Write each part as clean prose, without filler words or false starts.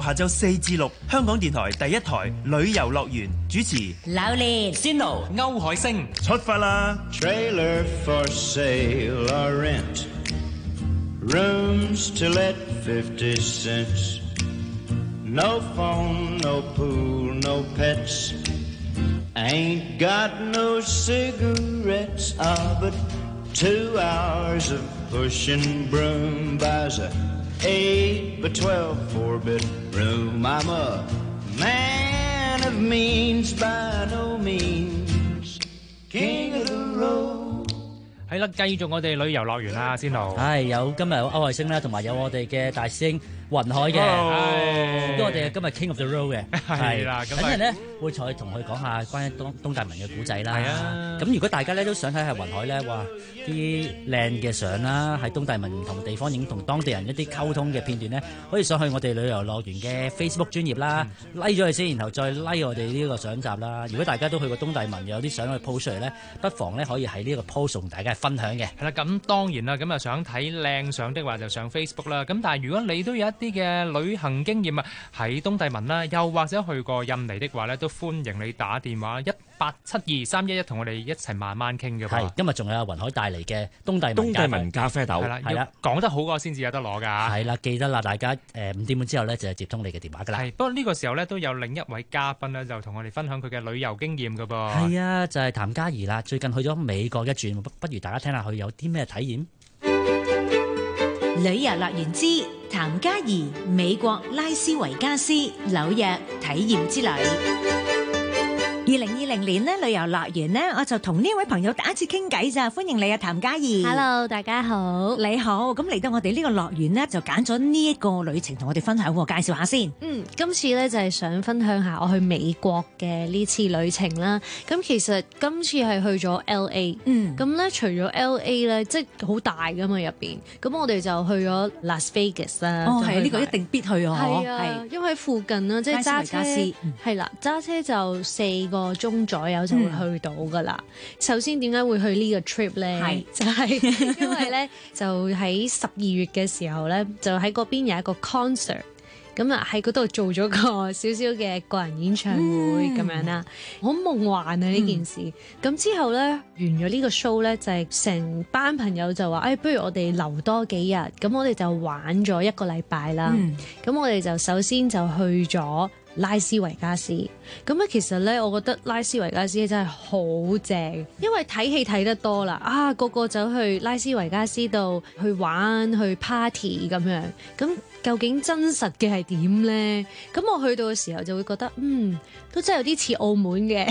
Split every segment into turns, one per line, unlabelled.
下晝4至6，香港電台第一台旅遊樂園主持
榴蓮、
Sino、歐海星
出發啦
Trailer for sale or rent, rooms to let 50 cents, no phone, no pool, no pets, ain't got no cigarettes, but 2 hours of pushing broom buys a 8 by 12 4-bit room. I'm a man of means by no means, king of the road.
係啦，繼續我哋旅遊樂園啦，先路。
係有今日有歐海星啦，同埋有我哋嘅大師兄雲海嘅，咁我哋今日 King of the Road 嘅，
係啦，咁
等陣咧會再同佢講下關於東大文嘅古仔啦。
係啊，
咁如果大家咧都想睇下雲海咧，哇啲靚嘅相啦，喺東大文唔同地方影同當地人一啲溝通嘅片段咧，可以上去我哋旅遊樂園嘅 Facebook 專頁啦，like 咗佢先，然後再 like 我哋呢個相集啦。如果大家都去過東大文，有啲相去 post 出嚟咧，不妨咧可以喺呢個 post 同大家分享嘅。
係啦，咁當然啦，咁啊想睇靚相的話就上 Facebook 啦。咁但係如果你都有一啲嘅旅行經驗啊，喺東帝汶啦，又或者去過印尼的話咧，都歡迎你打電話1872-311同我哋一齊慢慢傾嘅。
係，今日仲有雲海帶嚟嘅東帝汶咖啡豆，
係啦，講得好過先至有得攞㗎。
係啦，記得啦，大家5點半之後咧就接通你嘅電話㗎啦。
係，不過呢個時候咧都有另一位嘉賓咧，就同我哋分享佢嘅旅遊經驗㗎噃。
係啊，就係譚嘉儀啦，最近去咗美國一轉，不如大家聽下佢有啲咩體驗。
旅遊樂園之譚嘉儀美國拉斯維加斯紐約體驗之旅。2020年咧，旅遊樂園咧，我就同呢位朋友第一次傾偈咋，歡迎你啊，譚嘉儀。
Hello， 大家好。
你好，咁嚟到我哋呢個樂園咧，就揀咗呢一個旅程同我哋分享，介紹下先。
今次咧就係想分享下我去美國嘅呢次旅程啦。咁其實今次係去咗 LA，咁咧除咗 LA 咧，即係好大噶嘛入邊。咁我哋就去咗 Las Vegas 啦。
哦，係呢個一定必去啊！
係啊，因為喺附近啦，即係揸車係啦，揸車就4個鐘左右就會去到噶啦。首先點解會去呢個 trip 咧？就係因為咧就喺12月嘅時候咧，就喺嗰邊有一個 concert。咁啊喺嗰度做咗個少少嘅個人演唱會咁樣啦，好夢幻啊呢件事。咁之後咧完咗呢個 show 咧，就係成班朋友就話，不如我哋留多幾日，咁我哋就玩咗1個禮拜啦。咁我哋就首先就去咗拉斯維加斯。咁咧其實咧，我覺得拉斯維加斯真係好正，因為睇戲睇得多啦，個個走去拉斯維加斯度去玩去 party 咁樣，咁究竟真實嘅係點咧？咁我去到嘅時候就會覺得，都真係有啲似澳門嘅，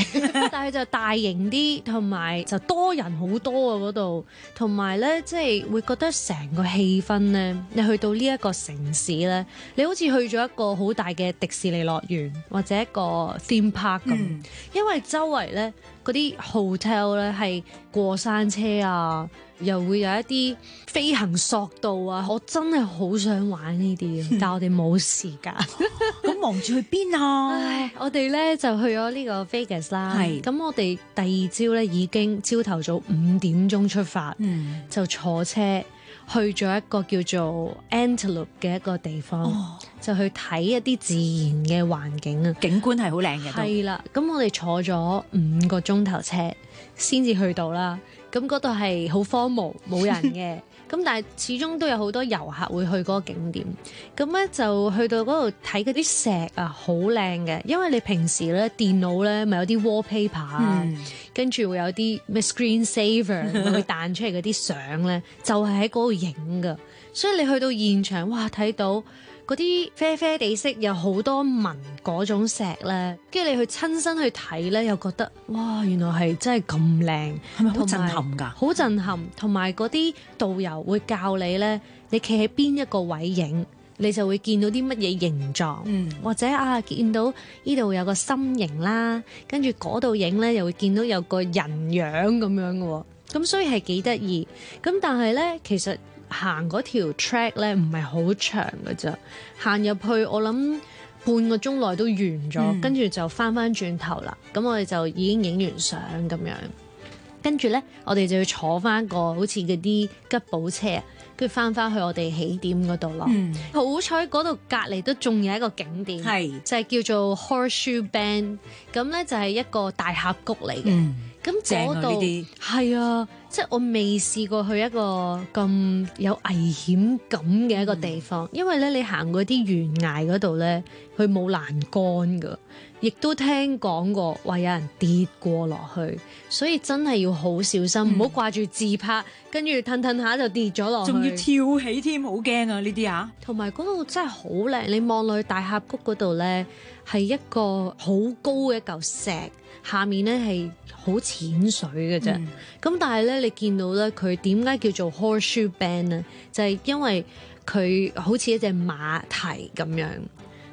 但係就大型啲，同埋就多人好多啊嗰度，同埋咧即係會覺得成個氣氛咧，你去到呢一個城市咧，你好似去咗一個好大嘅迪士尼樂園或者一個 theme park 咁，因為周圍咧嗰啲 hotel 咧係過山車啊，又會有一啲飛行索道啊，我真係好想玩呢啲，但係我哋冇時間。
咁忙住去邊啊？
唉，我哋咧就去咗呢個 Vegas 啦。係，咁我哋第二朝咧已經朝頭早5點鐘出發，就坐車去咗一個叫做 Antelope 嘅一個地方，就去睇一啲自然嘅環境啊，
景觀係好靚嘅。
係啦，咁我哋坐咗5個鐘頭車先至去到啦。咁嗰度係好荒蕪冇人嘅，咁但係始終都有好多遊客會去嗰個景點。咁咧就去到嗰度睇嗰啲石啊，好靚嘅，因為你平時咧電腦咧咪有啲 wallpaper 啊，跟住會有啲咩 screen saver 會彈出嚟嗰啲相咧，就係喺嗰度影噶。所以你去到現場，哇，睇到嗰啲啡啡地色有好多紋嗰種石咧，跟住你去親身去睇咧，又覺得哇，原來係真係咁靚，
係咪好震撼㗎？
好震撼，同埋嗰啲導遊會教你咧，你企喺邊一個位影，你就會見到啲乜嘢形狀，或者見到呢度有個心形啦，跟住嗰度影咧又會見到有個人樣咁樣嘅喎，咁所以係幾得意。咁但係咧，其實行嗰條 track 咧唔係好長嘅啫，行入去我諗半個鐘內都完咗，跟住就翻轉頭啦。咁我哋就已經影完相咁樣，跟住咧我哋就要坐翻個好似嗰啲吉普車，跟住翻去我哋起點嗰度咯。好彩嗰度隔離都仲有一個景點，就係叫做 Horseshoe Bend， 咁咧就係一個大峽谷嚟嘅。咁嗰度係啊，即係我未試過去一個咁有危險感嘅一個地方，因為咧你行嗰啲懸崖嗰度咧，佢冇欄杆噶，亦都聽講過話有人跌過落去，所以真係要好小心，唔好掛住自拍，跟住褪下就跌咗落去，
仲要跳起添，好驚啊！呢啲啊，
同埋嗰度真係好靚，你望落去大峽谷嗰度咧，係一個好高嘅一嚿石，下面咧係好淺水嘅啫。咁但係咧，你見到咧，佢點解叫做 Horseshoe Bend 咧？就係因為佢好似一隻馬蹄咁樣。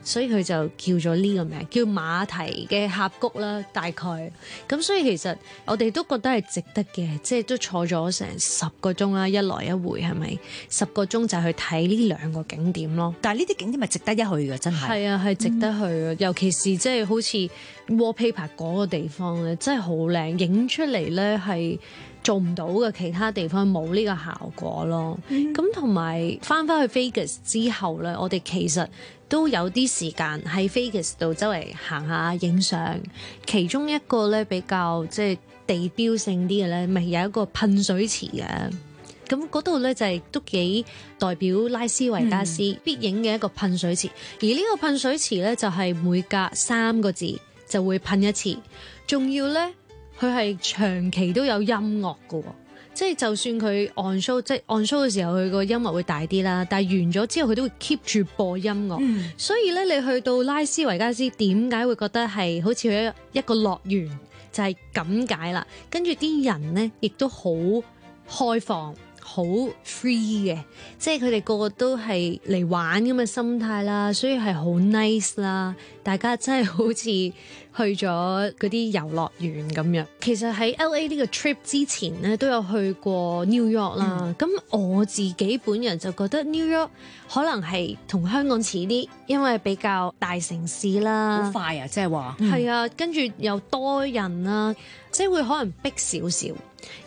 所以佢就叫咗呢個名，叫馬蹄嘅峽谷啦，大概。咁所以其實我哋都覺得係值得嘅，即係都坐咗成10個鐘啦，一來一回係咪？10個鐘就去睇呢2個景點咯。
但係呢啲景點係值得一去嘅，真係。
係啊，係值得去嘅，尤其是即係好似 wallpaper 嗰個地方咧，真係好靚，影出嚟咧係做唔到嘅，其他地方冇呢個效果咯。咁同埋翻去 Vegas 之後咧，我哋其實都有啲時間喺 Vegas 度周圍行下影相。其中一個咧比較即係地標性啲嘅咧，咪有一個噴水池嘅。咁嗰度咧就係都幾代表拉斯維加斯必影嘅一個噴水池。而呢個噴水池咧就係每隔3個字就會噴一次，仲要咧佢係長期都有音樂嘅。即係就算佢 on show， 即係 on show 嘅時候，佢個音樂會大啲啦。但係完咗之後，佢都會 keep 住播音樂。所以咧，你去到拉斯維加斯，點解會覺得係好似去一個樂園？就係咁解啦。跟住啲人咧，亦都好開放，好 free 嘅。即係佢哋個個都係嚟玩咁嘅心態啦，所以係好 nice 啦。大家真係好似去咗嗰啲遊樂園咁樣。其實喺 LA 呢個 trip 之前咧，都有去過 New York 啦。咁我自己本人就覺得 New York 可能係同香港似啲，因為比較大城市啦。
好快啊！即係話
係啊，跟住又多人啦，即係會可能逼少少。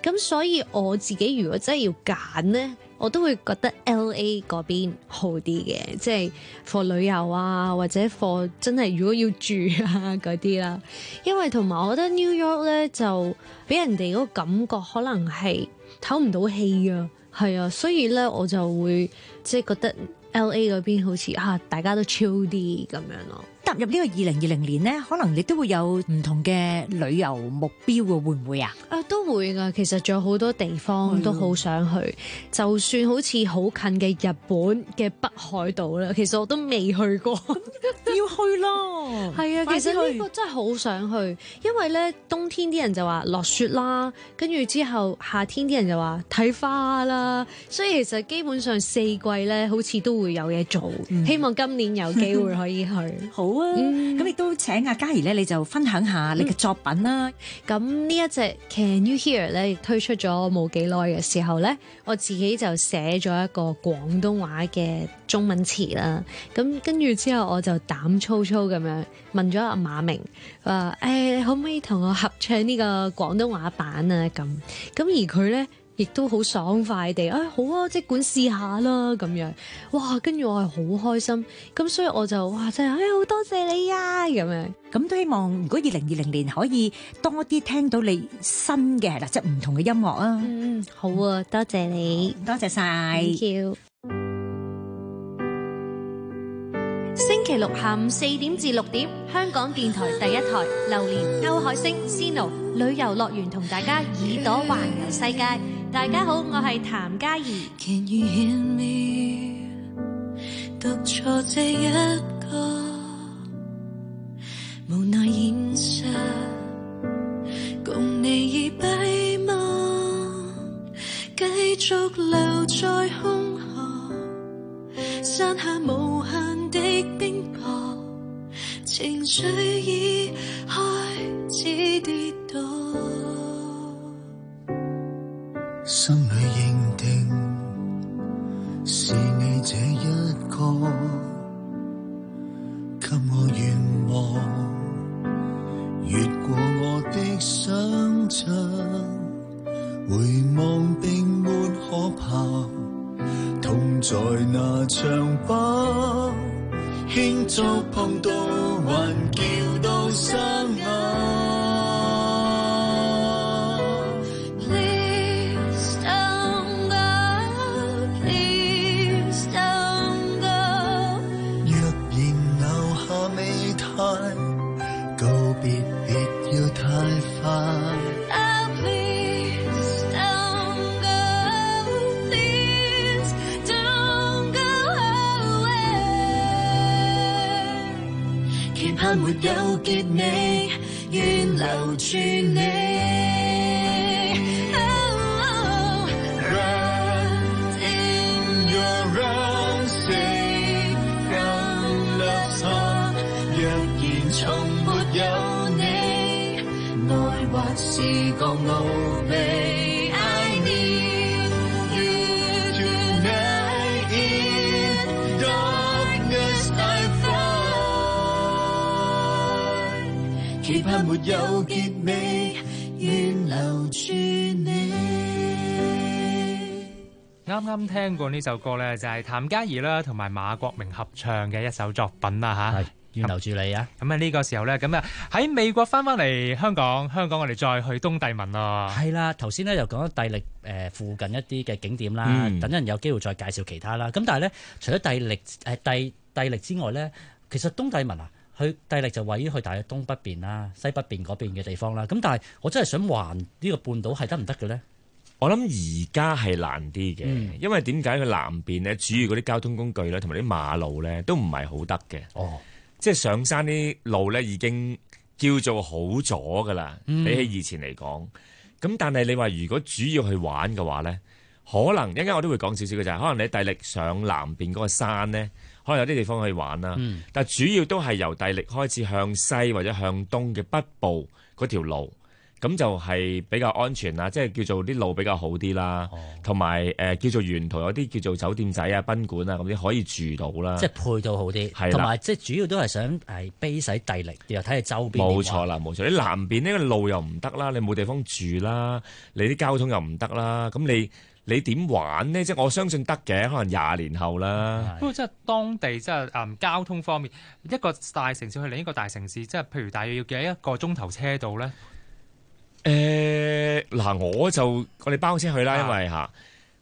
咁所以我自己如果真係要揀咧，我都會覺得 LA 嗰邊好啲嘅，即係 for 旅遊啊，或者 for 真係如果要住啊嗰啲啦。因為同埋我覺得 New York 咧就俾人哋嗰個感覺可能係唞唔到氣啊，係啊，所以咧我就會即係覺得 LA 嗰邊好似大家都 chill 啲咁樣咯。
踏入呢個2020年咧，可能你都會有唔同嘅旅遊目標喎，會唔會啊？
都會㗎，其實仲有好多地方都好想去，就算好似好近嘅日本嘅北海道啦，其實我都未去過，
要去咯。
係啊，其實呢個真係好想去，因為咧冬天啲人就話落雪啦，跟住之後夏天啲人就話睇花啦，所以其實基本上4季咧好似都會有嘢做。希望今年有機會可以去。
好啊，咁亦都請阿嘉怡咧，你就分享下你嘅作品啦。
咁呢一隻 Can You Hear 咧，亦推出咗冇幾耐嘅時候咧，我自己就寫咗一個廣東話嘅中文詞啦。咁跟住之後，我就膽粗粗咁樣問咗阿馬明話：你可唔可以同我合唱呢個廣東話版啊？咁而佢咧，亦都好爽快地好啊，即管試下啦咁樣。哇！跟住我係好開心，咁所以我就真係好多謝你啊咁樣。
咁都希望如果2020年可以多啲聽到你新嘅係啦，即係唔同嘅音樂啊。
好啊，多謝你，
多謝晒。
Thank you。星期六下午4點至6點，香港電台第一台，榴蓮、歐海星、Sino 旅遊樂園同大家耳朵環遊世界。大家好，我係譚嘉怡。
Can you hear me？ 獨坐這一個無奈現實，共你已閉幕，繼續留在空河，山下無限的冰雹，情緒已開始跌倒。
心裏認定是你這一個，給我願望，越過我的想象，回望並沒可怕，在那場吧，輕觸碰到還叫到生啞。
Please don't go, please don't go。
若然留下未太，告別別要太快。
盼沒有結尾，願留住你。
Wrapped in your arms, safe from love's heart。若然從沒有你，愛或是個奧秘。I need you tonight in darkness I find。期盼沒有結尾，願留住你。
啱啱聽過呢首歌呢，就係譚嘉儀啦同埋馬國明合唱嘅一首作品啦嚇。
係願留住你啊！
咁啊呢個時候呢，咁啊喺美國翻嚟香港我哋再去東帝汶咯。
係啦，頭先咧又講咗帝力附近一啲嘅景點啦，等陣有機會再介紹其他啦。咁但係咧，除咗帝力之外咧，其實東帝汶啊，佢帝力就位於去大約東北邊啦、西北邊嗰邊嘅地方啦。咁但係我真係想環呢個半島係得唔得嘅咧？
我諗而家係難啲嘅，因為點解佢南邊咧，主要嗰啲交通工具咧，同埋啲馬路咧，都唔係好得嘅。
哦，
即係上山啲路咧，已經叫做好咗噶啦，比起以前嚟講。咁但係你話如果主要去玩嘅話咧，可能一陣間我都會講少少嘅就係，可能你帝力上南邊嗰個山咧，可能有啲地方可以玩啦。但係主要都係由帝力開始向西或者向東嘅北部嗰條路。咁就係比較安全啦，即係叫做啲路比較好啲啦，同埋叫做沿途有啲叫做酒店仔啊、賓館啊咁啲可以住到啦，
即係配套好啲，同埋即係主要都係想係 base 喺帝力，又睇下周邊。
冇錯啦，冇錯。你南邊呢個路又唔得啦，你冇地方住啦，你啲交通又唔得啦，咁你點玩呢？即係我相信得嘅，可能20年後啦。
不過即係當地即係交通方面，一個大城市去另一個大城市，即係譬如大約要幾一個鐘頭車度咧？
嗱，我哋包車去啦，因為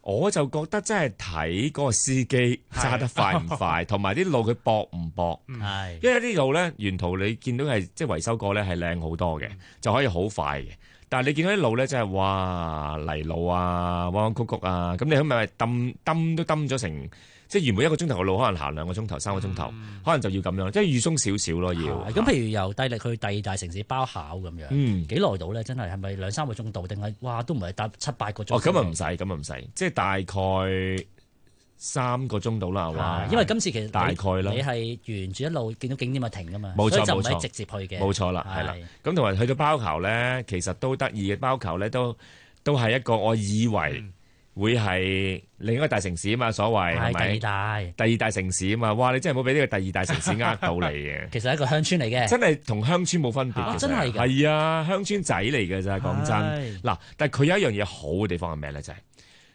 我就覺得真係睇嗰個司機揸得快唔快，同埋啲路佢駁唔駁。係，因為啲路咧沿途你見到係即係維修過咧係靚好多嘅，就可以好快嘅。但係你見到啲路咧真係哇泥路啊、彎彎曲曲啊，咁你係咪抌都抌咗成？即係原本1個鐘頭嘅路，可能行2個鐘頭、3個鐘頭，可能就要咁樣，即係預鬆少少咯，要。
咁譬如由帝力去第2大城市包考咁樣，幾耐到咧？真係咪2-3個鐘度，定係哇都唔係搭7-8個鐘？
咁啊唔使，即係大概3個鐘到啦，係嘛？
因為今次其實
大概啦，
你係沿住一路見到景點咪停噶嘛，
冇錯，
就唔係直接去嘅。
冇錯啦，係啦。咁同埋去到包考咧，其實都得意嘅。包考咧都係一個我以為會係另一個大城市啊嘛，所謂係咪？第二大城市啊嘛，哇！你真係冇俾呢個第2大城市呃到你嘅。其實係一個鄉村嚟嘅，真係同鄉村冇分別嘅，真係㗎。係啊，鄉村仔嚟嘅咋，講真。嗱，但係佢有一樣嘢好嘅地方係咩咧？就係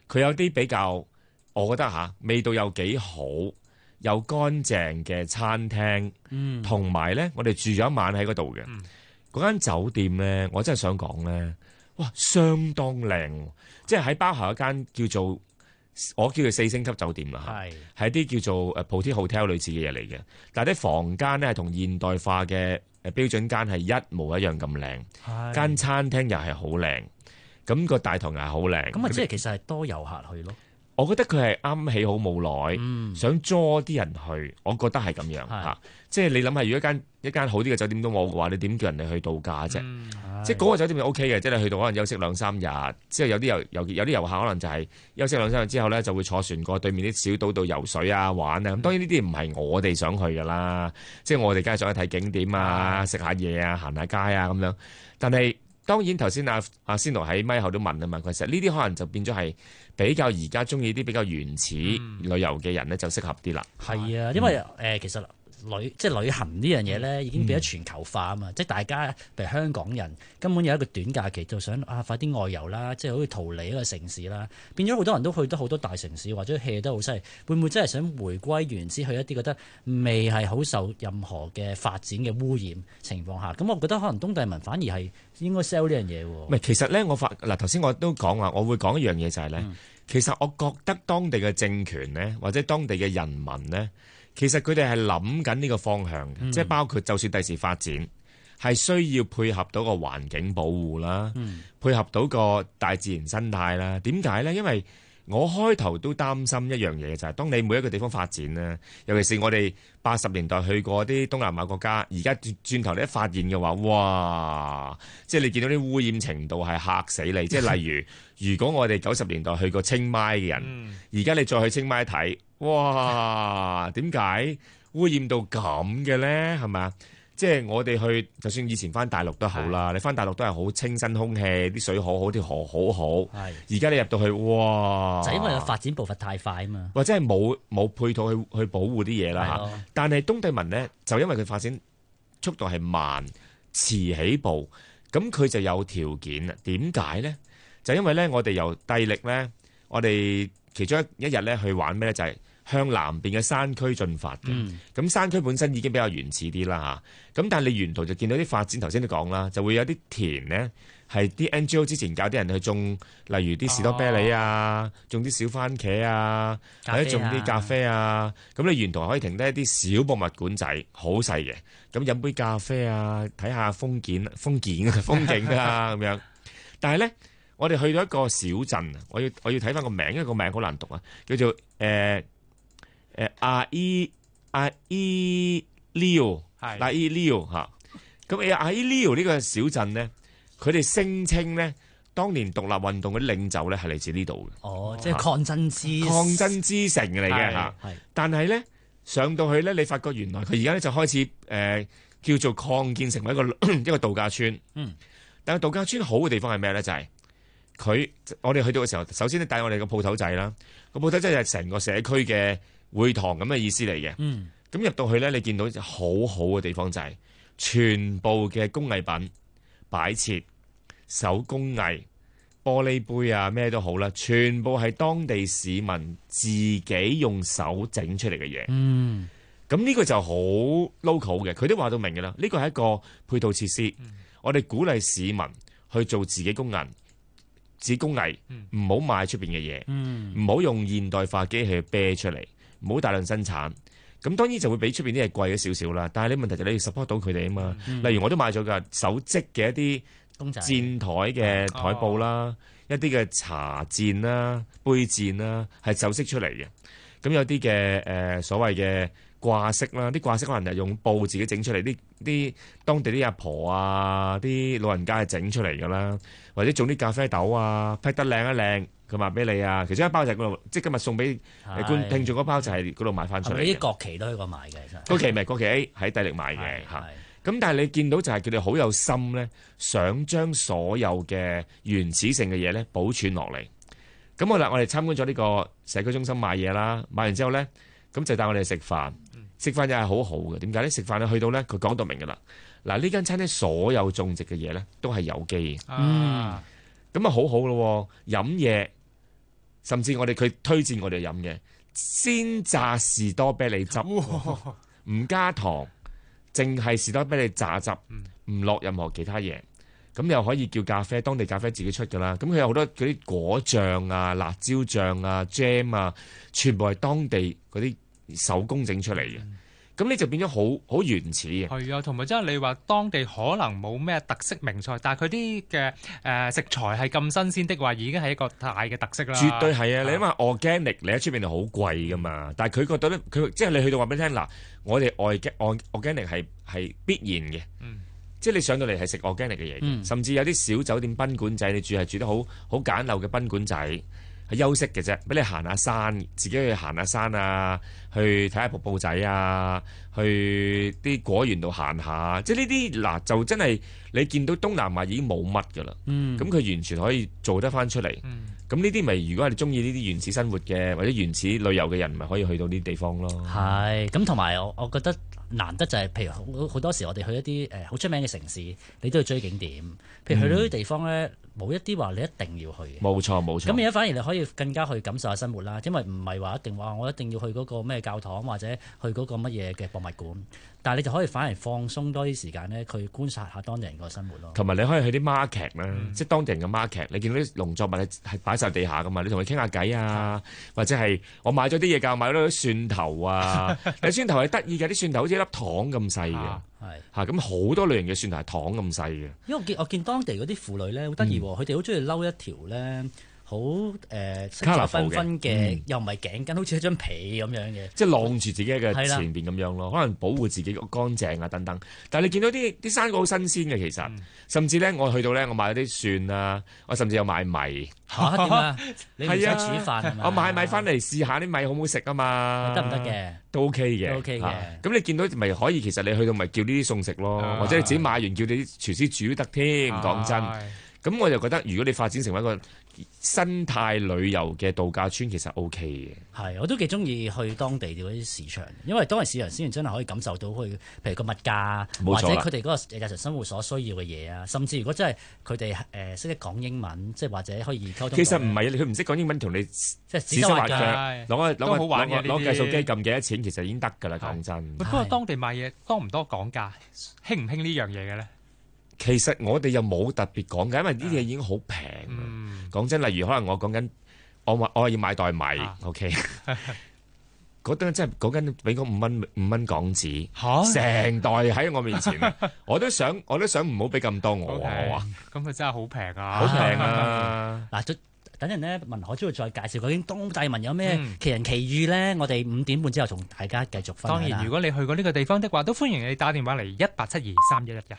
佢有啲比較，我覺得味道又幾好，又乾淨嘅餐廳，同埋咧，我哋住咗一晚喺嗰度嘅。嗰間酒店咧，我真係想講咧，哇，相當靚。即係喺包考一間我叫做4星級酒店啦，係啲叫做Boutique Hotel 類似嘅嘢嚟嘅。但係啲房間咧係同現代化嘅標準間係一模一樣咁靚，間餐廳又係好靚，咁個大堂又係好靚。咁即係其實係多遊客去咯。我覺得佢係啱起好冇耐，想捉啲人去，我覺得係咁樣嚇。即係你諗下，如果一間好啲嘅酒店都冇嘅話，你點叫人哋去度假啫？即係嗰個酒店就 OK 嘅，即係你去到可能休息2-3日，之後有啲遊客可能就係休息2-3日之後咧，就會坐船過對面啲小島度游水啊、玩啊。咁當然呢啲唔係我哋想去㗎啦，即係我哋梗係想去睇景點啊、食下嘢啊、行下街啊咁樣。但係當然頭先阿仙奴喺咪後都問啊嘛，其實呢啲可能就變咗係比較而家中意啲比較原始旅遊嘅人咧，就適合啲啦。係啊，因為其實
即係旅行呢樣嘢咧，已經變咗全球化啊嘛！即係大家譬如香港人根本有一個短假期就想快啲外遊啦，即係好似逃離一個城市啦，變咗好多人都去得好多大城市或者 hea 得好犀利，會唔會真係想回歸原始去一啲覺得未係好受任何嘅發展嘅污染情況下？咁我覺得可能東帝汶反而係應該 sell 呢樣嘢喎。
唔係，其實咧頭先我都講話，我會講一樣嘢就係咧，其實我覺得當地嘅政權咧，或者當地嘅人民咧。其實佢哋係諗緊呢個方向嘅，即係包括就算第時發展係需要配合到個環境保護啦，配合到個大自然生態啦。點解呢？因為我開頭都擔心一樣嘢就係，當你每一個地方發展咧，尤其是我哋80年代去過啲東南亞國家，而家轉頭你一發現嘅話，哇！即係你見到啲污染程度係嚇死你。即係例如，如果我哋90年代去過清邁嘅人，而家你再去清邁睇。哇！點解污染到咁嘅咧？係咪啊？即係我哋去，就算以前翻大陸都好啦，你翻大陸都係好清新空氣，啲水好好，啲河好好。而家你入到去，哇！
就因為個發展步伐太快啊嘛，
或者係冇配套去保護啲嘢啦嚇。但係東帝汶咧，就因為佢發展速度係慢、遲起步，咁佢就有條件啦。點解咧？就因為咧，我哋由帝力咧，我哋其中一日咧去玩咩咧，就係向南邊嘅山區進發嘅。咁山區本身已經比較原始啲啦嚇。咁但係你沿途就見到啲發展，頭先都講啦，就會有啲田咧係啲 NGO 之前教啲人去種，例如啲士多啤梨啊，種啲小番茄啊，或者種啲咖啡啊。咁你沿途可以停低一啲小博物館仔，好細嘅。咁飲杯咖啡啊，睇下風景啊咁樣。但係咧，我哋去到一個小鎮，我要睇翻個名，因為個名好難讀啊，叫做阿伊利奧嚇。咁阿伊利奧呢個小鎮咧，佢哋聲稱咧，當年獨立運動嗰啲領袖咧係嚟自呢度嘅。
哦，即係抗爭
之城嚟嘅嚇。但係咧上到去咧，你發覺原來佢而家咧就開始叫做擴建成為一個度假村。但係度假村好嘅地方係咩咧？就係我哋去到嘅時候，首先咧帶我哋個鋪頭仔啦。個鋪頭仔係成個社區嘅會堂咁嘅意思嚟嘅。咁入到去咧，你見到好好嘅地方就係全部嘅工藝品擺設、手工藝、玻璃杯啊，咩都好啦，全部係當地市民自己用手整出嚟嘅嘢。咁呢個就好 local 嘅，佢都話到明嘅啦。呢個係一個配套設施，我哋鼓勵市民去做自己工藝，唔好買出邊嘅嘢，唔好用現代化機器去啤出嚟，唔好大量生產。咁當然就會比出邊啲嘢貴咗少少啦。但係你問題就係你要 support 到佢哋啊嘛。例如我都買咗㗎手織嘅一啲墊台嘅台布啦，一啲嘅茶墊啦、杯墊啦，係手織出嚟嘅。咁有啲嘅所謂嘅掛飾啦，啲掛飾可能係用布自己整出嚟，啲當地啲阿婆啊、啲老人家係整出嚟㗎啦，或者種啲咖啡豆啊，劈得靚一靚，佢賣俾你啊。其中一包就係嗰度，即係今日送俾聽眾嗰包就係嗰度買翻出嚟。啲
國旗都喺度買嘅，其實
國旗 A 喺帝力買嘅嚇。咁但係你見到就係佢哋好有心咧，想將所有嘅原始性嘅嘢咧保存落嚟。咁好啦，我哋參觀咗呢個社區中心買嘢啦，買完之後咧，咁就帶我哋食飯。食飯又係好好嘅，點解咧？食飯咧去到咧，佢講到明㗎啦。嗱，呢間餐廳所有種植嘅嘢咧都係有機嘅。咁啊好好咯，飲嘢甚至佢推薦我哋飲嘅鮮榨士多啤梨汁，唔加糖，淨係士多啤梨榨汁，唔落任何其他嘢。咁又可以叫咖啡，當地咖啡自己出㗎啦。咁佢有好多嗰啲果醬啊、辣椒醬啊、jam 啊，全部係當地嗰啲手工整出嚟嘅。咁你就變咗好原始嘅。
係啊，同埋即係你話當地可能冇咩特色名菜，但係佢啲嘅食材係咁新鮮的話，已經係一個大嘅特色啦。
絕對係啊！你諗下 organic，你喺出邊係好貴噶嘛，但係佢覺得咧，佢即係你去到話俾你聽嗱，我哋organic 係必然嘅。即係你上到嚟係食 organic 嘅嘢，甚至有啲小酒店賓館仔，你係住得好簡陋嘅賓館仔，係休息嘅啫，俾你行下山，自己去行下山啊，去睇下瀑布仔啊，去啲果園度行下，即係呢啲嗱就真係你見到東南亞已經冇乜㗎啦。咁佢完全可以做得翻出嚟。咁呢啲咪如果係你中意呢啲原始生活嘅或者原始旅遊嘅人，咪可以去到呢啲地方咯。
係咁，同埋我覺得難得就係、譬如好多時我哋去一啲好出名嘅城市，你都要追景點。譬如去到啲地方咧，冇一啲話你一定要去嘅。
冇錯冇錯。
咁而家反而你可以更加去感受下生活啦，因為唔係話一定話我一定要去嗰個咩教堂或者去嗰個乜嘢嘅博物館，但係你就可以反而放鬆多啲時間咧，去觀察下當地人個生活咯。
同埋你可以去啲 market 啦，即係當地人嘅 market，你見到啲農作物係擺晒地下噶嘛，你同佢傾下偈啊，或者係我買咗啲嘢㗎，買咗啲蒜頭啊，啲蒜頭係得意嘅，啲蒜頭好似一粒糖咁細嘅。係咁好多類型嘅蒜頭係糖咁細嘅。
因為我見當地嗰啲婦女咧好得意喎，佢哋好中意嬲一條咧好色彩繽紛嘅，又唔係頸巾，好似一張被咁樣嘅，即
係晾住自己嘅前邊咁樣咯，可能保護自己乾淨啊等等。但係你見到啲生果好新鮮嘅，其實甚至咧我去到咧，我買咗啲蒜啊，我甚至有買米。
嚇點啊？你唔使煮飯係嘛？
我買米翻嚟試下啲米好唔好食啊嘛？
得唔得嘅？
都 OK 嘅。
都 OK 嘅。
咁你見到咪可以？其實你去到咪叫呢啲餸食咯，或者你自己買完叫你啲廚師煮都得添。講真，咁我就覺得如果你發展成為一個生態旅遊嘅度假村，其實 OK 嘅。
係，我都幾中意去當地嗰啲市場，因為當地市場先真係可以感受到佢，譬如個物價，或者佢哋嗰個日常生活所需要嘅嘢啊。甚至如果真係佢哋識得講英文，即係或者可以溝通。其
實唔係，佢唔識講英文同你即係指手畫腳，攞計數機撳幾多錢，其實已經得㗎啦。講真。
不過當地買嘢多唔多講價，興唔興呢樣嘢嘅咧？
其實我哋又冇特別講嘅，因為呢啲嘢已經好平。講真，例如可能我講緊，我要買袋米，OK，嗰單真係講緊俾我5蚊港紙，成袋喺我面前，我都想唔好俾咁多我啊！
咁佢真係好平啊！
好平啊！
嗱，等陣咧，文海都會再介紹究竟東帝汶有咩奇人奇遇咧。我哋5點半之後同大家繼續分享。
當然，如果你去過呢個地方的話，都歡迎你打電話嚟18723111嘅。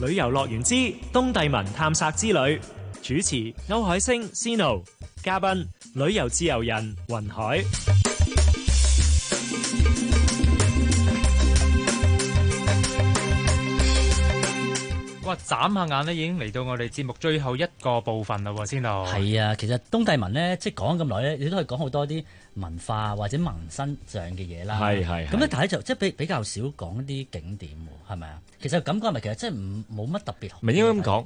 旅遊樂園之東帝汶探索之旅，主持歐海星 Sino， 嘉賓旅遊自由人雲海。
哇！眨下眼咧，已經嚟到我哋節目最後一個部分啦喎，先到。
係啊，其實東帝汶咧，即係講咁耐咧，你都可以講好多啲文化或者民生上嘅嘢啦。係。咁咧，但係就即係比較少講一啲景點喎，係咪啊？其實感覺係咪其實真係冇乜特別？
唔係應該咁講。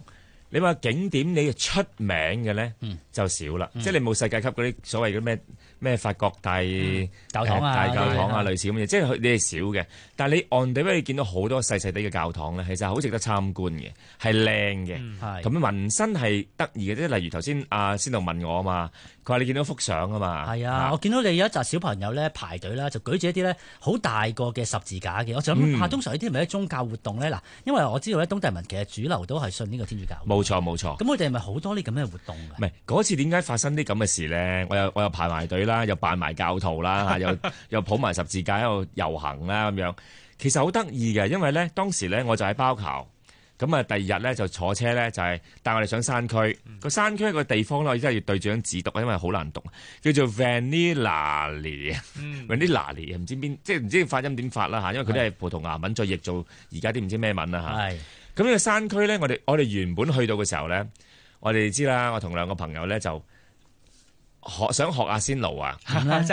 你話景點你出名嘅咧就少啦，即係你冇世界級嗰啲所謂嘅咩法國大教堂啊、類似咁嘅嘢，即係你係少嘅。但係你on the way你見到好多細細啲嘅教堂咧，其實好值得參觀嘅，係靚嘅。咁民生係得意嘅，即係例如頭先阿先導問我啊嘛，佢話你見到幅相啊嘛。
係啊，我見到你有一紮小朋友咧排隊啦，就舉住一啲咧好大個嘅十字架嘅。我就諗下，通常呢啲係咪啲宗教活動咧？嗱，因為我知道咧東帝汶其實主流都係信呢個天主教。
冇錯。
咁我哋係咪好多呢咁嘅活動㗎？
唔係嗰次點解發生啲咁嘅事咧？我又排埋隊啦，又扮埋教徒啦，又抱埋十字架喺度遊行啦咁樣。其實好得意嘅，因為咧當時咧我就喺包頭，咁啊第二日咧就坐車咧就係帶我哋上山區。個山區一個地方咧，我真係要對住張紙讀，因為好難讀，叫做 Vanillali 啊，Vanillali 唔知邊，即係唔知發音點發啦嚇，因為佢都係葡萄牙文再譯做而家啲唔知咩文啦嚇。咁呢個山區咧，我哋原本去到嘅時候咧，我哋知啦，我同2個朋友咧就想學阿仙奴啊，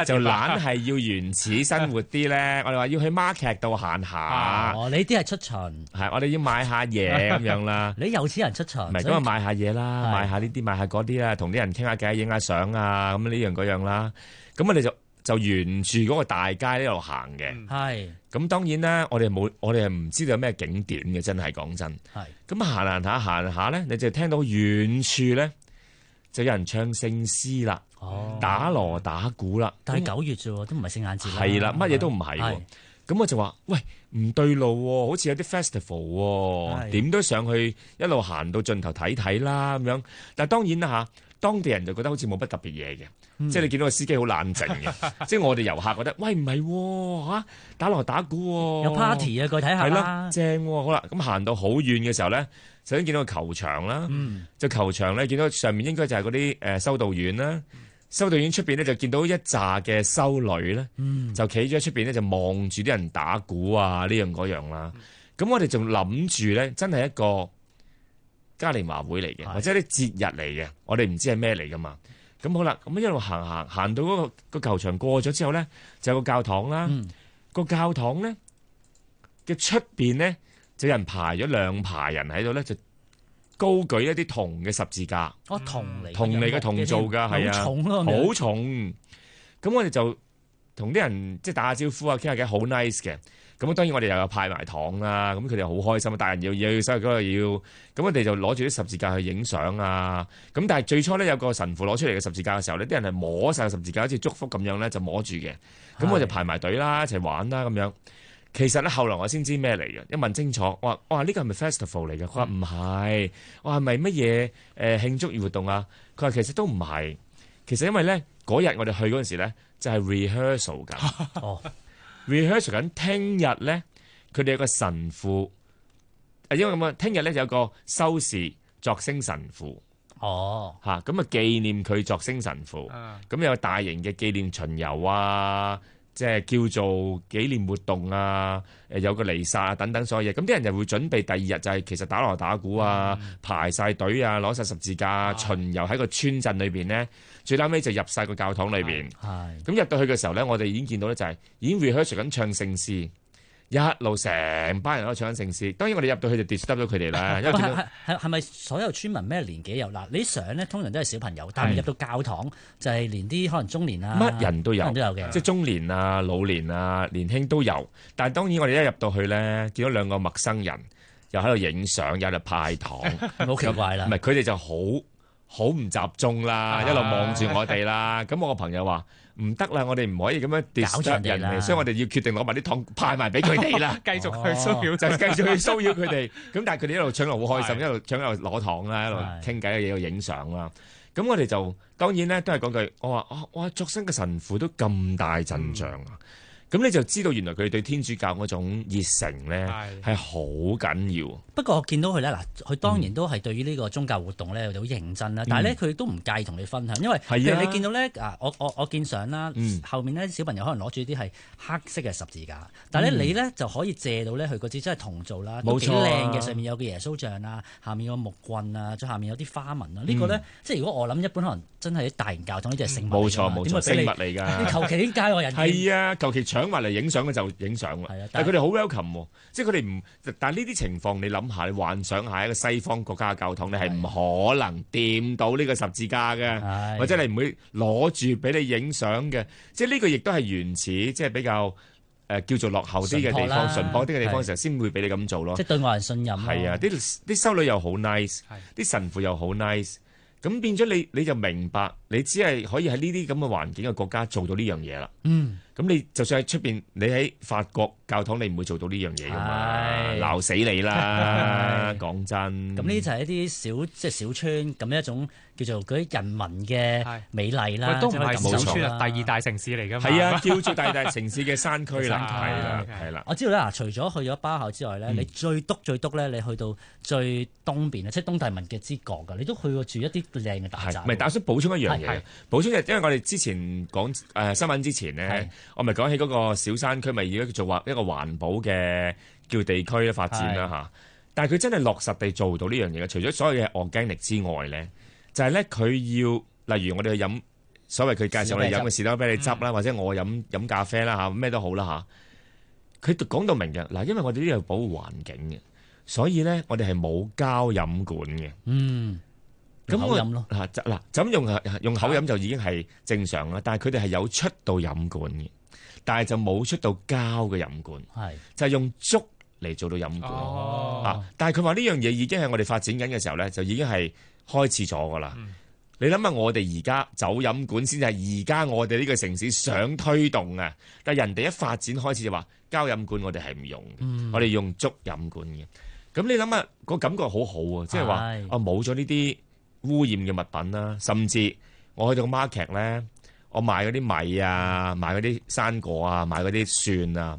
就懶係要原始生活啲咧。我哋話要去 market 度行下。
你啲係出巡，
係我哋要買下嘢咁樣啦。
你有錢人出巡，
唔係咁啊，買下嘢啦，買下呢啲，買下嗰啲啦，同啲人傾下偈，影下相啊，咁呢樣嗰樣啦。咁我哋就沿住嗰個大街呢度行嘅。係。咁當然啦，我哋係唔知道有咩景點嘅，真係講真。係。咁行下咧，你就聽到遠處咧就有人唱聖詩啦，打鑼打鼓啦。
但係9月啫喎，都唔係聖誕節啦。
係啦，乜嘢都唔係喎。咁我就話：喂，唔對路喎，好似有啲 festival 喎，點都上去一路行到盡頭睇睇啦咁樣。但係當然啦嚇，當地人就覺得好似冇乜特別嘢嘅。即係你見到個司機好冷靜嘅，即係我哋遊客覺得，喂唔係喎，打鑼打鼓喎，
有 party 啊，過去睇下啦，
係啦，正喎。好啦，咁行到好遠嘅時候咧，首先見到個球場啦，就球場咧見到上面應該就係嗰啲修道院啦，修道院出邊咧就見到一紮嘅修女咧，就企咗喺出邊咧就望住啲人打鼓啊呢樣嗰樣啦。咁我哋仲諗住咧，真係一個嘉年華會嚟嘅，或者啲節日嚟嘅，我哋唔知係咩嚟噶嘛。咁好啦，咁一路行到嗰個球場過咗之後咧，就有個教堂啦。個教堂咧嘅出邊咧，就有人排咗2排人喺度咧，就高舉一啲銅嘅十字架。
銅嚟
嘅銅做㗎，係啊，
好重咯，
好重。咁我哋就同啲人即係打下招呼啊，傾下偈，好 nice 嘅。咁當然我哋又有派埋糖啦，咁佢哋好開心啊！大人要細個要，咁我哋就攞住啲十字架去影相啊！咁但係最初咧有個神父攞出嚟嘅十字架嘅時候呢，啲人係摸晒十字架，好似祝福咁樣咧就摸住嘅。咁我就排埋隊啦，一齊玩啦咁樣。其實咧後來我先知咩嚟嘅，一問清楚，我話呢個係咪 festival 嚟嘅？佢話唔係，我係咪乜嘢慶祝活動啊？佢話其實都唔係，其實因為咧嗰日我哋去嗰陣時咧就係 rehearsal 㗎。rehearsal 緊，聽日咧，佢哋有個神父，因為咁啊，聽日咧有個修士作星神父，咁啊紀念佢作星神父，咁有大型嘅紀念巡遊啊，即係叫做紀念活動啊，有個彌撒啊等等所有嘢，咁啲人就會準備第二日就係其實打鑼打鼓啊，排晒隊啊，攞晒十字架巡遊喺個村鎮裏邊咧。最後尾就入晒個教堂裏邊，咁入到去嘅時候咧，我哋已經見到咧就係已經 rehearsal 緊唱聖詩，一路成班人都唱緊聖詩。當然我哋入到去就 disturb 咗佢哋啦。因為
係咪所有村民咩年紀有？嗱，你相咧通常都係小朋友，但係入到教堂就係連啲可能中年啊，
乜人都有
嘅，即
係中年啊、老年啊、年輕都有。但係當然我哋一入到去咧，見到2個陌生人又喺度影相，又喺度派糖，
好奇怪啦。
唔係佢哋就好唔集中啦，一路望住我哋啦。咁我個朋友話唔得啦，我哋唔可以咁樣 disturb 人哋，所以我哋要決定攞埋啲糖派埋俾佢哋啦，
繼續去騷擾，
就繼續去騷擾佢哋。咁但係佢哋一路搶又好開心，一路搶又攞糖啦，一路傾偈嘅嘢，又影相啦。咁我哋就當然咧都係講句，我話作新嘅神父都咁大陣仗啊！咁你就知道原來佢哋對天主教嗰種熱誠咧係好緊要。
不過我見到佢咧，嗱，佢當然都係對於呢個宗教活動咧好認真啦。但係咧佢都唔介意同你分享，因為譬如你見到咧我見相啦，後面咧小朋友可能攞住啲係黑色嘅十字架，但係咧你咧就可以借到咧佢嗰支真係銅做啦，都幾靚嘅，上面有個耶穌像啊，下面有個木棍啊，再下面有啲花紋啊。呢個咧即係如果我諗一般可能真係啲大型教堂呢啲係聖物，
冇錯，聖物嚟㗎。
你求其啲街外人
係啊，求其搶埋嚟影相嘅就影相啦。但係佢哋好 welcome 喎，即係佢哋唔。但係呢啲情況你諗下，你幻想下一個西方國家嘅教堂，你係唔可能掂到呢個十字架嘅，或者你唔會攞住俾你影相嘅。即係呢個亦都係原始，即係比較叫做落後啲嘅地方、淳樸啲嘅地方嘅時候，先會俾你咁做咯。
即係對外人信任。
係啊，啲修女又好 nice， 啲神父又好 nice。咁變咗你就明白，你只係可以喺呢啲咁嘅環境嘅國家做到呢樣嘢啦。咁你就算喺出邊，你喺法國教堂，你唔會做到呢樣嘢噶嘛，鬧死你啦！講真。咁
呢就係一啲即係小村咁一種叫做嗰啲人民嘅美麗啦。
都唔係小村啊，第2大城市嚟㗎嘛。
係啊，叫做第2大城市嘅山區啦，係啦。
我知道啦，除咗去咗包校之外咧，你最篤咧，你去到最東邊啊，即係東帝汶嘅之角㗎，你都去過住一啲靚嘅大宅。
唔係，但我想補充一樣嘢，補充因為我哋之前講新聞之前咧。我咪講起嗰個小山區，咪而家做一個環保嘅叫地區嘅發展啦嚇。但係佢真係落實地做到呢樣嘢嘅，除咗所有嘅 organic 之外咧，就係咧佢要，例如我哋去飲所謂佢介紹我哋飲嘅士多啤梨汁啦，或者我飲咖啡啦嚇，咩都好啦嚇。佢講到明嘅嗱，因為我哋呢度要保護環境嘅，所以咧我哋係冇膠飲管嘅。
咁口飲咯
嗱，就咁用口飲就已經係正常啦。但係佢哋係有出到飲管嘅，但係就冇出到膠嘅飲管，就係用竹嚟做到飲管。但係佢話呢樣嘢已經係我哋發展緊嘅時候咧，就已經係開始咗噶啦。你諗下，我哋而家走飲管先係而家我哋呢個城市想推動啊，但係人哋一發展開始就話膠飲管我哋係唔用嘅，我哋用竹飲管嘅。咁你諗下個感覺好好啊，即係話冇咗呢啲污染嘅物品啦，甚至我去到個 market 咧，我買嗰啲米啊，買嗰啲生果啊，買嗰啲蒜啊，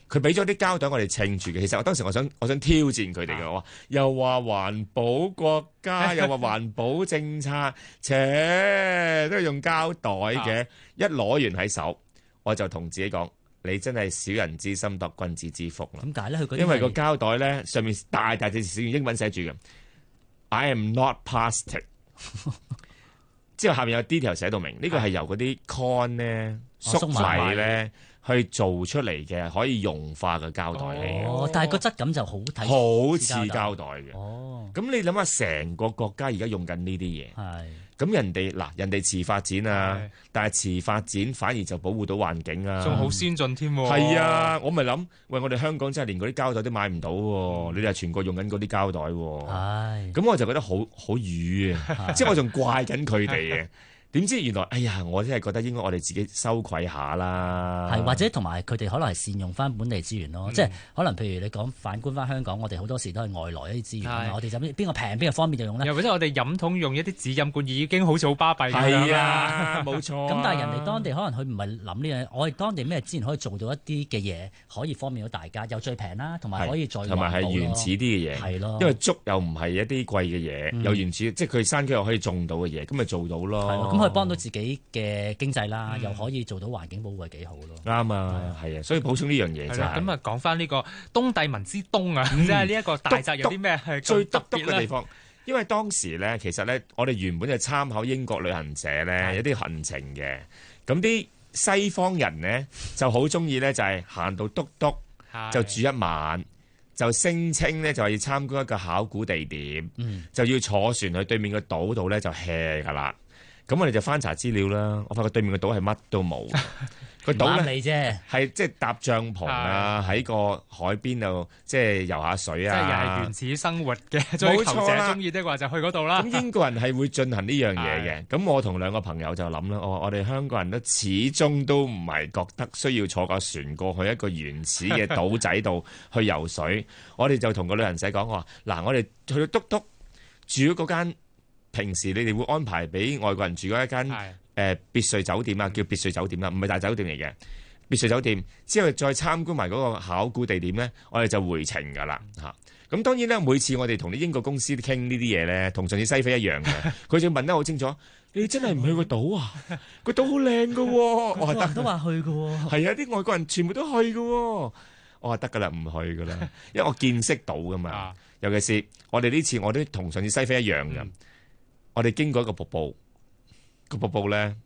佢俾咗啲膠袋我哋稱住嘅。其實我當時我想挑戰佢哋嘅，我話又話環保國家，又話環保政策，都係用膠袋嘅。一攞完喺手，我就同自己講：你真係小人之心度君子之腹啦。
點解咧？
因為個膠袋咧上面大字用英文寫住嘅 I am not plastic。之後下面有 detail 寫到明，呢個係由嗰啲 con 咧粟米咧去做出嚟嘅可以溶化嘅膠袋嚟嘅。
但係個質感就好睇，
好似膠袋嘅。咁你諗下，成個國家而家用緊呢啲嘢。咁人哋遲發展啊，但係遲發展反而就保護到環境啊，
仲好先進添。
係啊，我咪諗，喂，我哋香港真係連嗰啲膠袋都買唔到喎，你哋係全國用緊嗰啲膠袋喎。咁我就覺得好瘀啊，即係我仲怪緊佢哋嘅。點知原來，哎呀！我真係覺得應該我哋自己羞愧下啦。
或者同埋佢哋可能係善用翻本地資源咯，即係可能譬如你講反觀翻香港，我哋好多時都係外來一啲資源，我哋就邊個平邊個方便就用啦。
又或者我哋飲桶用一啲紙飲管已經好似好巴閉咁
樣啦，冇錯。
咁但係人哋當地可能佢唔係諗呢樣，我哋當地咩資源可以做到一啲嘅嘢，可以方便到大家，又最平啦，同埋可以再
同埋係原始啲嘅嘢，
係咯。
因為竹又唔係一啲貴嘅嘢，又原始，即係佢山區又可以種到嘅嘢，咁咪做到咯。
咁可以幫到自己嘅經濟啦，又可以做到環境保護，係幾好咯。
啱啊，係啊，所以補充呢樣嘢啫。
咁啊，講翻呢個東帝汶之東啊，即係呢一個大宅有啲咩係
最特別嘅地方？因為當時咧，其實咧，我哋原本就參考英國旅行社咧有啲行程嘅，咁啲西方人咧就好中意咧，就係行到篤篤就住一晚，就聲稱咧就係要參觀一個考古地點，就要坐船去對面個島度咧就 hea 噶啦。咁我哋就翻查資料啦，我發覺對面個島係乜都冇，個島咧係即係搭帳篷啊，喺個海邊度即係游下水啊，
即係又係原始生活嘅追求者中意的話就去嗰度啦。
咁英國人係會進行呢樣嘢嘅，咁我同兩個朋友就諗啦，我哋香港人都始終都唔係覺得需要坐架船過去一個原始嘅島仔度去游水，我哋就同個旅行社講話，嗱，我哋去到篤篤住嗰間。平時你哋會安排俾外國人住嗰一間別墅酒店啊，叫別墅酒店啦，唔係大酒店嚟嘅別墅酒店。之後再參觀埋嗰個考古地點咧，我哋就回程㗎啦嚇。咁當然咧，每次我哋同啲英國公司傾呢啲嘢咧，同上次西非一樣嘅，佢就問得好清楚，你真係唔去個島啊？個島好靚㗎喎，我話得
都話去㗎喎。
係啊，啲外國人全部都去㗎喎，我話得㗎啦，唔去㗎啦，因為我見識到㗎嘛。尤其是我哋呢次我都同上次西非一樣嘅。我哋經過一個瀑布，個瀑布咧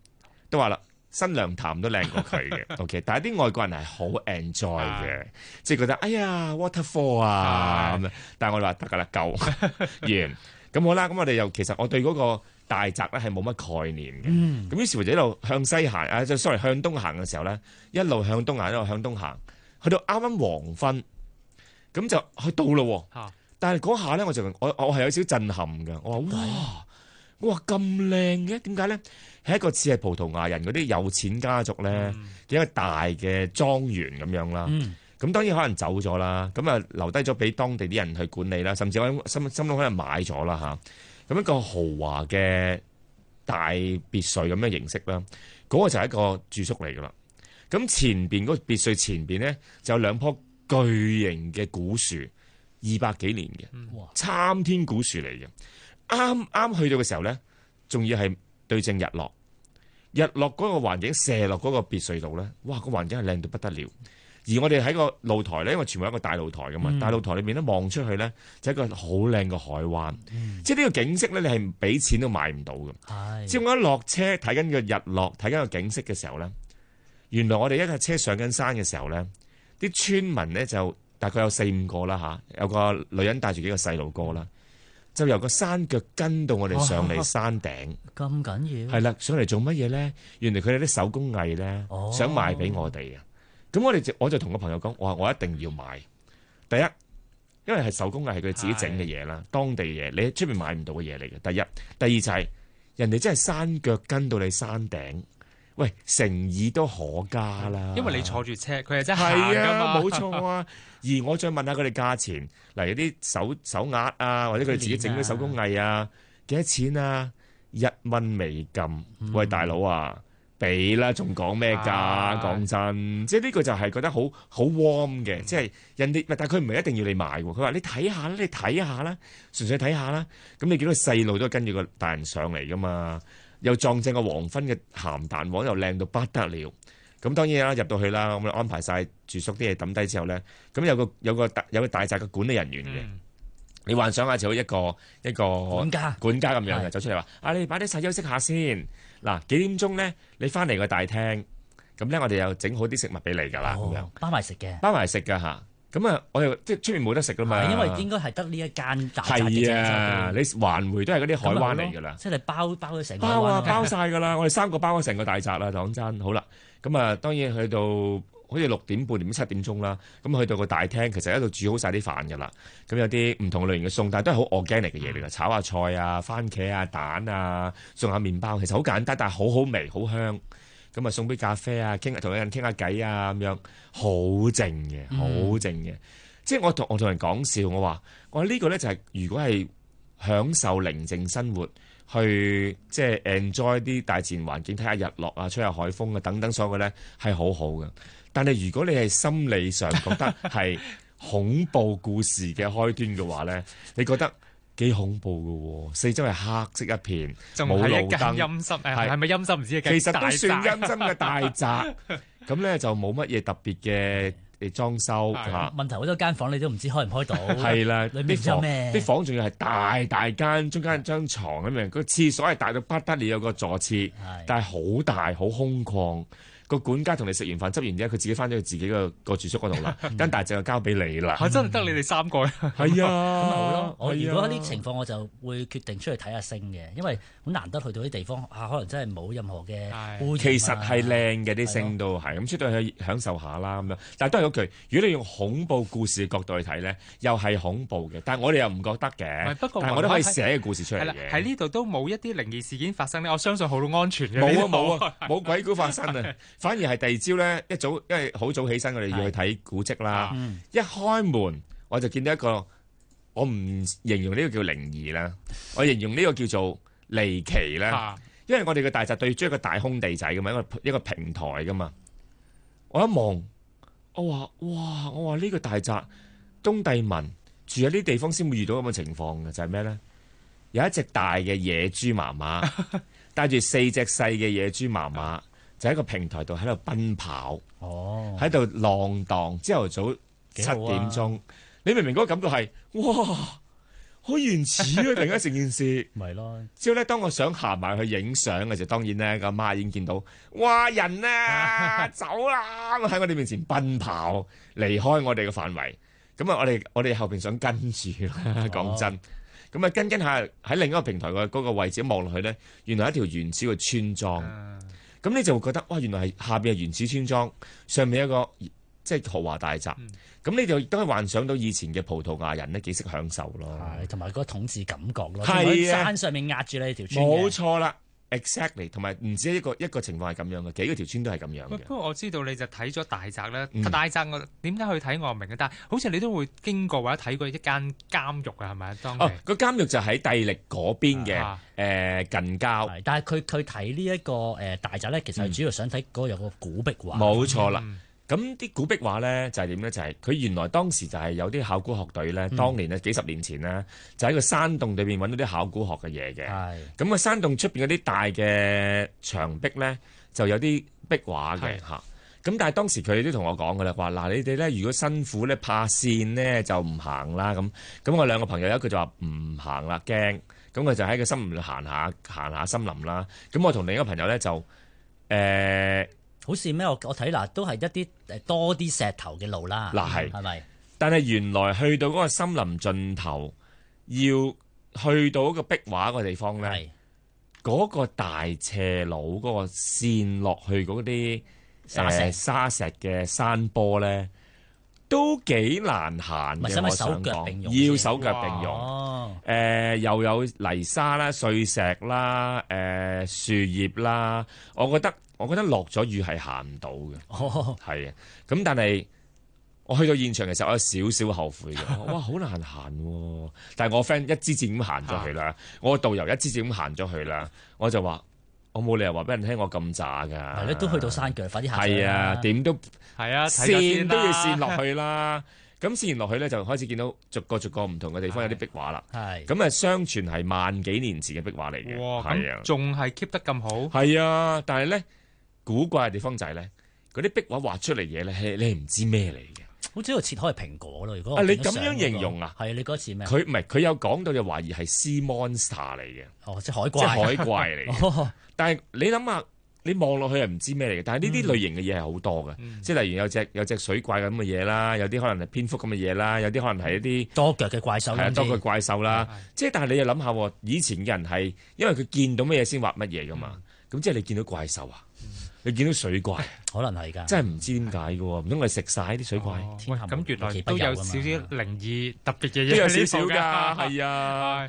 都話啦，新娘潭都靚過佢嘅。OK， 但係啲外國人係好 enjoy 嘅，即係覺得哎呀 waterfall 啊咁樣。但係我哋話得㗎啦，夠完咁好啦。咁我哋又其實我對嗰個大宅咧係冇乜概念嘅。咁於是乎就一路向西行啊，就 sorry 向東行嘅時候咧，一路向東行，一路向東行，去到啱啱黃昏，咁就去到咯。但係嗰下咧，我係有少少震撼嘅。我話哇！我話咁靚嘅，點解咧？係一個似係葡萄牙人嗰啲有錢家族咧，一個大嘅莊園咁樣啦。咁當然可能走咗啦，咁啊留低咗俾當地啲人去管理啦，甚至我心諗可能買咗啦嚇。咁一個豪華嘅大別墅咁嘅形式啦，嗰個就係一個住宿嚟噶啦。咁前邊嗰個別墅前邊咧就有兩棵巨型嘅古樹，200幾年嘅參天古樹嚟嘅。啱啱去到嘅時候咧，仲要係對正日落，日落嗰個環境射落嗰個別墅度咧，哇！個環境係靚到不得了。而我哋喺個露台咧，因為全部係一個大露台噶嘛，大露台裏面咧望出去咧，就係一個好靚嘅海灣，即係呢個景色咧，你係唔俾錢都買唔到嘅。即係我一落車睇緊個日落，睇緊個景色嘅時候咧，原來我哋一架車上緊山嘅時候咧，啲村民咧就大概有4-5個啦嚇，有個女人帶住幾個細路哥啦。就由個山腳跟到我哋上嚟山頂，
咁緊要？
係啦，上嚟做乜嘢咧？原來佢哋啲手工藝咧，想賣俾我哋啊！咁我就同個朋友講，我一定要買。第一，因為係手工藝係佢哋自己整嘅嘢啦，當地嘢，你喺出面買唔到嘅嘢嚟嘅。第一，第二就係人哋真係山腳跟到你山頂，喂，誠意都可嘉啦。
因為你坐住車，佢係真係行㗎嘛，
冇錯啊。而我再問下佢哋價錢，例如啲手鈪啊，或者佢哋自己整啲手工藝啊，幾多錢啊？1蚊美金。喂，大佬啊，俾啦，仲講咩價？講真，即係呢個就係覺得好 warm 嘅，即係人哋，但係佢唔係一定要你買喎。佢話你睇下啦，你睇下啦，純粹睇下啦。咁你見到細路都跟住個大人上嚟噶嘛？又撞正個黃昏嘅鹹蛋黃，又靚到不得了。咁當然啦，入到去啦，咁安排晒住宿啲嘢抌低之後咧，咁有個大宅嘅管理人員嘅，你幻想下就好一個
管家
咁樣嘅走出嚟話：你擺啲晒休息下先。嗱，幾點鐘咧？你翻嚟個大廳，咁咧我哋又整好啲食物俾你㗎啦，咁樣
包埋食嘅，
包埋食㗎嚇。咁啊，我哋即係出面冇得食㗎嘛。
因為應該係得呢一間大宅嘅
係啊，你環迴都係嗰啲海灣嚟㗎啦。
即係你包咗成個
包晒㗎啦。我哋3個包咗成個大宅啦，講真。好啦，咁啊當然去到好似6點半、7點鐘啦，咁去到個大廳，其實喺度煮好晒啲飯㗎啦。咁有啲唔同類型嘅餸，但係都係好 organic 嘅嘢嚟㗎，炒下菜啊、番茄啊、蛋啊，送下麵包，其實好簡單，但係好好味、好香。咁啊送杯咖啡啊，同人傾下偈啊，咁樣好靜嘅，好靜嘅。即係我同人講笑，我話呢個咧就係如果係享受寧靜生活，去即係 enjoy 啲大自然環境，睇下日落啊，吹下海風啊，等等所有嘅咧係好好嘅。但係如果你係心理上覺得係恐怖故事嘅開端嘅話咧，你覺得幾恐怖㗎喎，四周係黑色一片，冇路燈，
陰森係咪陰森唔知？
其實都算陰森嘅大宅，咁咧就冇乜嘢特別嘅裝修嚇。
問題好多間房你都唔知開唔開到。
係啦，
裏面有咩？
啲房仲要係大間，中間張床咁樣，個廁所係大到不得了，有個座廁，但係好大好空曠。個管家同你食完飯執完之後，佢自己翻咗去自己個住宿嗰度啦，間大隻就交俾你啦。
真係得你哋3個。
係啊，
咁咪好咯。我如果喺呢情況，我就會決定出去睇下星嘅，因為好難得去到啲地方可能真係冇任何嘅污染。
其實係靚嘅啲星都係，咁出到去享受下啦咁樣。但係都係嗰句，如果你用恐怖故事嘅角度去睇咧，又係恐怖嘅。但係我哋又唔覺得嘅。
不過
但係我都可以寫個故事出嚟嘅。
喺呢度都冇一啲靈異事件發生咧，我相信好安全嘅。
冇鬼故發生啊！反而係第二朝咧，一早因為好早起身，我哋要去睇古蹟啦。一開門我就見到一個，我唔形容呢個叫靈異啦，我形容呢個叫做離奇啦。因為我哋嘅大宅對住一個大空地仔噶嘛，一個平台噶嘛。我一望，我話呢個大宅東帝汶住喺呢啲地方先會遇到咁嘅情況嘅，就係咩咧？有一隻大嘅野豬媽媽帶住4隻細嘅野豬媽媽。就喺個平台度喺度奔跑，喺度浪蕩。朝頭早7點鐘，你明唔明嗰個感覺係哇，好原始啊！突然間成件事，
咪咯。
之後咧，當我想行埋去影相嘅時候，當然咧，個媽已經見到，哇人啊，走啦！喺我哋面前奔跑，離開我哋嘅範圍。咁啊，我哋後邊想跟住啦，講真。咁啊，跟下喺另一個平台嘅嗰個位置望落去咧，原來一條原始嘅村莊。咁你就會覺得哇，原來係下邊係原始村莊，上面一個即係豪華大宅。咁你就亦都可以幻想到以前嘅葡萄牙人咧幾識享受咯，
同埋嗰個統治感覺咯。
係啊，
山上面壓住你條村。
冇錯啦 ，exactly。同埋唔止一個情況係咁樣嘅，幾個條村都係咁樣嘅。
不過我知道你就睇咗大宅啦，大宅我點解去睇我唔明嘅，但係好似你都會經過或者睇過一間監獄啊，係咪啊？當地
個監獄就喺帝力嗰邊嘅近郊。
但係佢睇呢一個大宅咧，其實係主要想睇嗰個有個古壁畫。
冇錯啦。咁啲古壁畫咧就係點咧？就係佢原來當時就係有啲考古學隊咧，當年咧幾十年前咧，就喺個山洞裏邊揾到啲考古學嘅嘢嘅。咁個山洞出邊嗰啲大嘅牆壁咧，就有啲壁畫嘅嚇。咁但係當時佢哋都同我講㗎啦，話嗱你哋咧如果辛苦咧怕跣咧就唔行啦咁。咁我2個朋友有一個就話唔行啦驚，咁佢就喺個森林度行下森林啦。咁我同另一個朋友咧就
好似咩？我睇嗱，都係一啲多啲石頭嘅路啦。
嗱
係咪？
但係原來去到嗰個森林盡頭，要去到嗰個壁畫個地方咧，嗰個大斜路嗰個線落去嗰啲沙石嘅山坡咧，都幾難行嘅。我想講，要手腳並用。又有泥沙啦、碎石啦、樹葉啦，我覺得落咗雨係行唔到嘅，係啊。咁但係我去到現場嘅時候，我有少少後悔嘅。哇，好難行喎！但係我 friend 一支箭咁行咗去啦，我個導遊一支箭咁行咗去啦，我就話我冇理由話俾人聽我咁渣㗎。
係咧，都去到山腳，快啲行。
係啊，點都
係啊，
線都要線落去啦。咁線完落去咧，就開始見到逐個唔同嘅地方有啲壁畫啦。咁啊，相傳係萬幾年前嘅壁畫嚟嘅。
哇！咁仲係 keep 得咁好。
係啊，但係咧。古怪嘅地方就係咧，嗰啲壁畫畫出嚟嘢咧，你係唔知咩嚟嘅。
好似喺度切開蘋果咯。如果
你咁樣形容啊？
係你嗰次咩？
佢唔係佢有講到就懷疑係 sea monster 嚟嘅。
哦，即係海怪。
即係海怪嚟嘅。但係你諗下，你望落去係唔知咩嚟嘅。但係呢啲類型嘅嘢係好多嘅，即係例如有隻水怪咁嘅嘢啦，有啲可能係蝙蝠咁嘅嘢啦，有啲可能係一啲
多腳嘅怪獸。
多腳怪獸啦。即係但係你又諗下，以前嘅人係因為佢見到乜嘢先畫乜嘢噶嘛。咁即係你見到怪獸啊？你見到水怪，
可能係㗎，
真係唔知點解嘅喎，唔通我食晒啲水怪？
咁原來都有少少靈異特別嘅嘢，
都有少少㗎，係啊。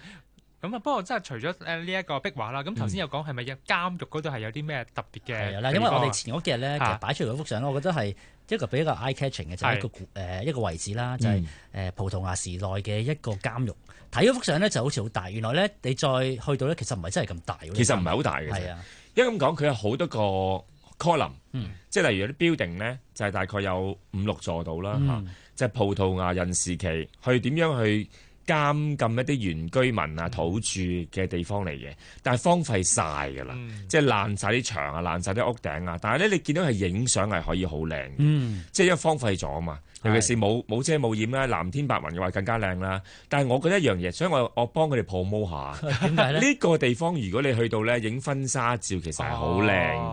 咁啊，不過真係除咗呢一個壁畫啦，咁頭先有講係咪有監獄嗰度係有啲咩特別嘅？
係啦，因為我哋前嗰幾日咧，其實擺出嚟嗰幅相咧，我覺得係一個比較 eye catching 嘅，就係一個位置啦，就係葡萄牙時代嘅一個監獄。睇嗰幅相咧就好似好大，原來咧你再去到咧，其實唔係真係咁大。
其實唔係好大嘅，
係啊，因
為咁講佢有好多個 column，即係例如有啲 building 咧，就係大概有5-6座度啦嚇，就係葡萄牙人時期去點樣去監禁一啲原居民啊、土著嘅地方嚟嘅，但係荒廢晒㗎啦，即係爛晒啲牆啊、爛晒啲屋頂啊，但係咧你見到係影相係可以好靚，即係因為荒廢咗啊嘛，尤其是冇遮冇掩啦、藍天白雲嘅話更加靚啦。但係我覺得一樣嘢，所以我幫佢哋 promote 下。點解咧？呢個地方如果你去到咧影婚紗照，其實係好靚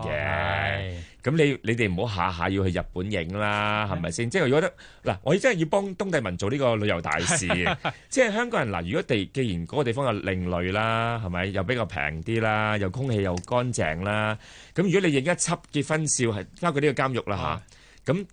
嘅。咁你哋唔好下下要去日本影啦，係咪先？即係如果嗱，我真係要幫東帝汶做呢個旅遊大使嘅。即係香港人嗱，如果既然嗰個地方有另類啦，係咪又比較平啲啦，又空氣又乾淨啦，咁如果你影一輯結婚照係包括呢個監獄啦嚇，咁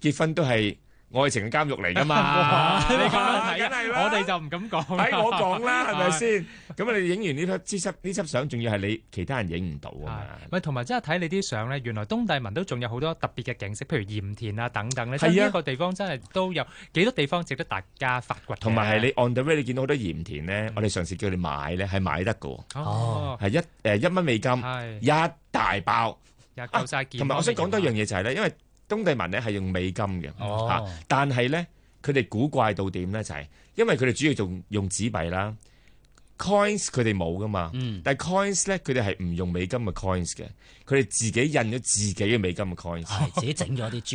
結婚都係愛情嘅監獄嚟㗎嘛？
你咁樣睇，
梗係啦，
我哋就唔敢講。
睇我講啦，係咪先？咁你影完呢輯相，仲要係你其他人影唔到啊嘛？
咪同埋真係睇你啲相咧，原來東帝汶都仲有好多特別嘅景色，譬如鹽田啊等等咧。係啊，呢一個地方真係都有幾多地方值得大家發掘。
同埋係你 on the way，你見到好多鹽田咧，我哋嘗試叫你買咧，係買得㗎。哦，係1蚊美金，一大包，
又夠晒件。
同埋我想講多一樣嘢就係咧，因為東帝汶咧係用美金嘅，但係咧佢哋古怪到點咧就係，因為佢哋主要仲用紙幣啦 ，coins 佢哋冇噶嘛，但係 coins 咧佢哋係唔用美金嘅 coins 嘅，佢哋自己印咗自己嘅美金嘅 coins，
自己整咗啲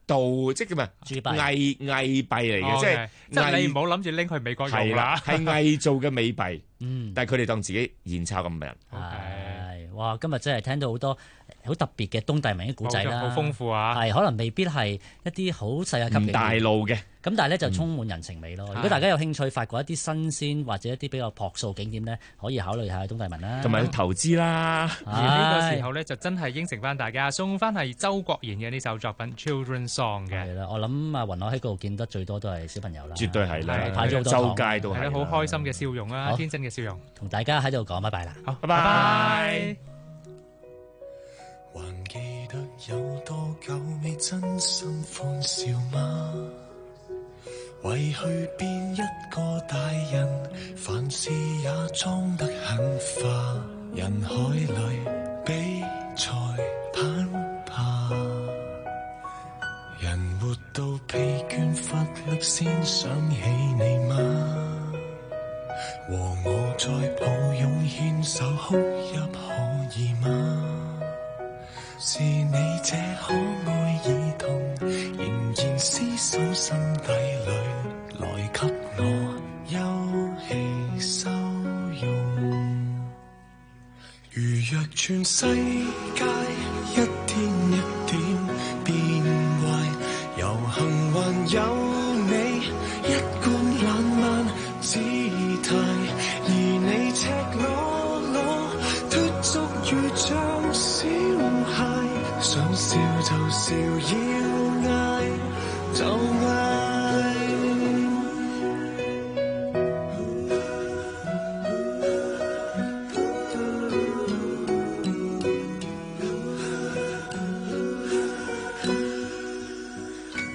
鍍即係叫咩？偽幣嚟嘅，
即係你唔好諗住拎去美國用啦，
係偽造嘅美幣，但係佢哋當自己現鈔咁嘅人。
哇！今日真係聽到好多好特別嘅東帝汶嘅古仔啦，
好豐富啊！
係可能未必係一啲好世界級嘅
大路嘅，
咁但係咧就充滿人情味咯。如果大家有興趣發掘一啲新鮮或者一啲比較樸素景點咧，可以考慮下東帝汶啦，
同埋投資啦。
而呢個時候咧就真係應承翻大家，送翻係周國賢嘅呢首作品《Children's Song》嘅。
係啦，我諗啊，雲海喺嗰度見得最多都係小朋友啦，
絕對係啦，
派咗好多
周街都係，
好開心嘅笑容啊，天真嘅笑容。
同大家喺度講拜拜啦，
好，拜拜。
還記得有多久未真心歡笑嗎？為去變一個大人，凡事也裝得很化。人海裏比賽攀爬，人活到疲倦乏力先想起你嗎？和我再抱擁牽手哭泣可以嗎？是你這可愛兒童，仍然廝守心底裏，來給我休憩收容。如若全世界一天一點變壞，遊行還有你一貫懶慢姿態，而你赤裸裸脫俗如像小孩，想笑就笑，要嗌就嗌。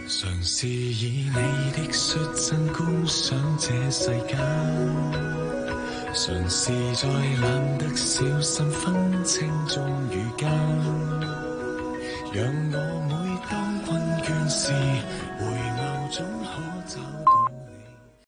嘗試以你的率真觀賞這世間，嘗試在懶得小心分清忠與奸，讓我每當困倦時回眸總可找